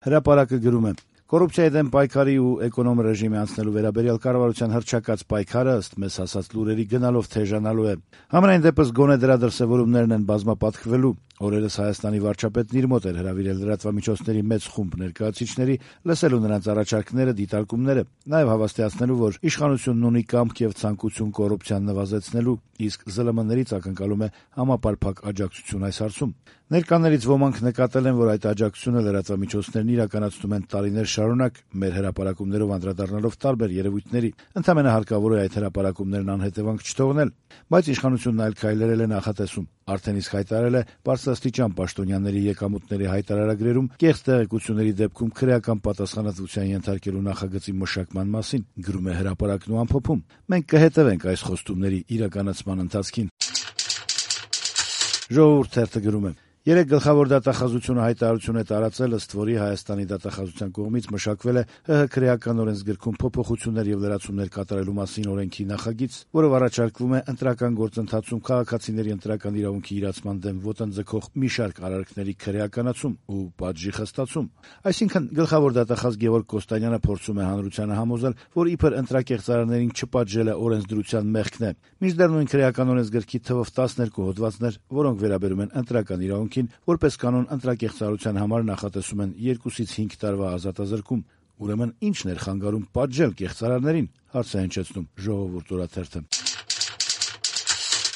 Հրապարակը գրում է. Կոռուպցիայի դեմ պայքարի ու էկոնոմ ռեժիմի անցնելու վերաբերյալ կառավարության հռչակած պայքարը ըստ մեզ հասած լուրերի գնալով թեժանալու է։ Համենայն դեպս գոնե դրա դրսևորումներն են բազմապատկվելու։ Օրերս Հայաստանի վարչապետն իր մոտ էր հրավիրել լրատվամիջոցների մեծ խումբ ներկայացուցիչների, լսելու նրանց առաջարկները, դիտարկումները, նաև հավաստիացնելու, որ իշխանությունն ունի կամք եւ ցանկություն կոռուպցիան նվազեցնելու, իսկ ԶԼՄ-ներից ակնկալում է համապարփակ աջակցություն այս հարցում։ Ներկաներից ոմանք նկատել են, որ այդ աջակցությունը լրատվամիջոցներն իրականացնում են տարիներ շարունակ, մեր հրապարակումներով անդրադառնալով տարբեր երևույթների։ Ընդամենը հարկավոր է այդ հրապարակումներն անհետևանք չթողնել, բայց իշխանությունն այլ քայլեր է նախատեսում։ Արդեն իսկ հայտարարել է բարձրաստիճան պաշտոնյաների եկամուտների հայտարարագրերում կեղծ տեղեկությունների դեպքում քրեական պատասխանատվության ենթարկելու նախագծի մշակման մասին, գրում է հրապարակն ու ամփոփում։ Մենք կհետևենք այս խոստումների իրականացման ընթացքին։ Ժողովուրդ թերթը գրում է. Երեք գլխավոր դատախազությունը հայտարարություն է տարածել, ըստ որի Հայաստանի դատախազության կողմից մշակվել է ՀՀ քրեական օրենսգրքում փոփոխություններ եւ լրացումներ կատարելու մասին օրենքի նախագիծ, որով առաջարկվում է ընտրական գործընթացում քաղաքացիների ընտրական իրավունքի իրացման դեմ ոտնձգող մի շարք արարքների քրեականացում ու պատժի խստացում։ Այսինքն գլխավոր դատախազ Գևորգ Կոստանյանը փորձում է հանրությանը համոզել, որ իբր ընտրակեղծարարներին չպատժելը օրենսդրության մեղքն է։ Մինչդեռ նույն քրեական օրենսգրքի թվով 12 հոդվածներ, որոնք վերաբերում են ընտրական իրավունքին, որպես կանոն ընտրակեղծարարության համար նախատեսում են 2-ից 5 տարվա ազատազրկում։ Ուրեմն ի՞նչն էր խանգարում պատժել կեղծարարներին, հարց է հնչեցնում Ժողովուրդ օրաթերթը։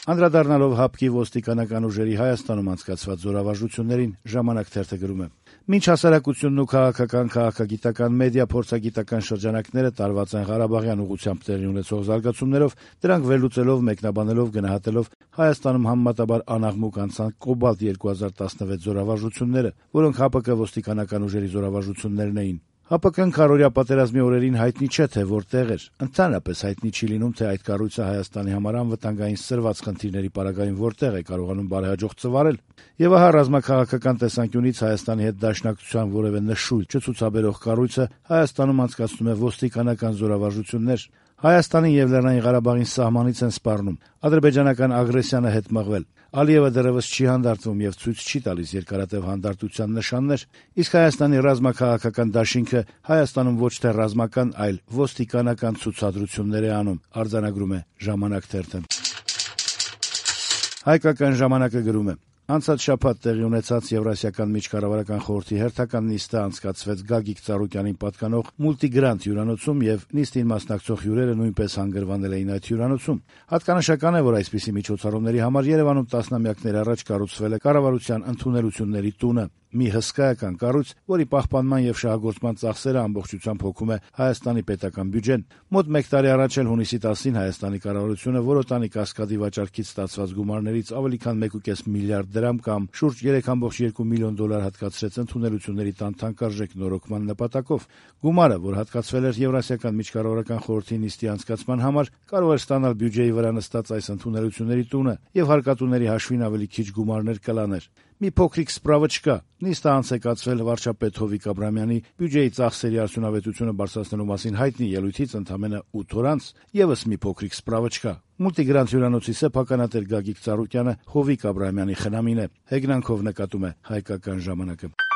Անդրադառնալով ՀԱՊԿ-ի ոստիկանական ուժերի Հայաստանում անցկացված զորավարժություններին, Ժամանակ թերթը գրում է. Մինչ հասարակությունն ու քաղաքական, քաղաքագիտական, մեդիա փորձագիտական շրջանակները տարված են Ղարաբաղյան ուղղությամբ տեղի ունեցող զարգացումներով, դրանք վերլուծելով, մեկնաբանելով, գնահատելով Հայաստանում համեմատաբար անաղմուկ անցան Կոբալտ 2016 զորավարժությունները, որոնք ՀԱՊԿ ոստիկանական ուժերի զորավարժություններն էին։ ՀԱՊԿ-ն քարոզիա պատերազմի օրերին հայտնի չէ, թե որտեղ էր։ Ընդհանրապես հայտնի չի լինում, թե այդ կառույցը Հայաստանի համար անվտանգային սրված խնդիրների պարագային որտեղ է կարողանում բարեհաջող ծվարել։ Եվ ահա ռազմաքաղաքական տեսանկյունից Հայաստանի հետ դաշնակցության որևէ նշույլ չցուցաբերող կառույցը Հայաստանում անցկացնում է ոստիկանական զորավարժություններ։ Հայաստանին եւ Լեռնային Ղարաբաղին սահմանից են սպառնում։ Ադրբեջանական ագրեսիան է հետ մղվել։ Ալիևը դեռևս չի հանդարտվում եւ ցույց չի տալիս երկարատև հանդարտության նշաններ, իսկ Հայաստանի ռազմաքաղաքական դաշինքը Հայաստանում ոչ թե ռազմական, այլ ոստիկանական ցուցադրություններ է անում, արձանագրում է Ժամանակ թերթը։ Հայկական ժամանակը գրում է. Անցած շաբաթ տեղի ունեցած Եվրասիական միջկառավարական խորհրդի հերթական նիստը անցկացվեց Գագիկ Ծառուկյանին պատկանող Մուլտիգրանտ հյուրանոցում եւ նիստին մասնակցող հյուրերը նույնպես հանգրվանել էին այդ հյուրանոցում։ Հատկանշական է, որ այսպիսի միջոցառումների համար Երևանում տասնամյակներ առաջ կառուցվել է կառավարության ընդունելությունների տունը, մի հսկայական կառույց, որի պահպանման եւ շահագործման ծախսերը ամբողջությամբ հոգում է Հայաստանի պետական բյուջեն։ Մոտ 1 տարի առաջ էլ հունիսի 10-ին Հայաստանի կառավարությունը Որոտանի կասկադի վաճառքից ստացված գումարներից ավելի քան 1.5 միլիարդ դրամ կամ շուրջ 3.2 միլիոն դոլար հատկացրեց ընդունելությունների տան թանկարժեք նորոգման նպատակով։ Գումարը, որ հատկացվել էր Եվրասիական միջկառավարական խորհրդի նիստի անցկացման համար, կարող էր ստանալ բյուջեի վրա նստած այս ընդունելությունների տունը եւ հարկատուների հաշվին ավելի քիչ գումարներ կլաներ։ Մի փոքրիկ սպրավոչկա. նիստը անց է կացվել վարչապետ Հովիկ Աբրամյանի բյուջեի ծախսերի արդյունավետությունը բարձրացնելու մասին հայտնի ելույթից ընդամենը 8 օր անց, եւս մի փոքրիկ սպրավոչկա. Մուլտիգրանտ հյուրանոցի սեփականատեր Գագիկ Ծառուկյանը Հովիկ Աբրամյանի խնամին է, հեգնանքով նկատում է Հայկական ժամանակը։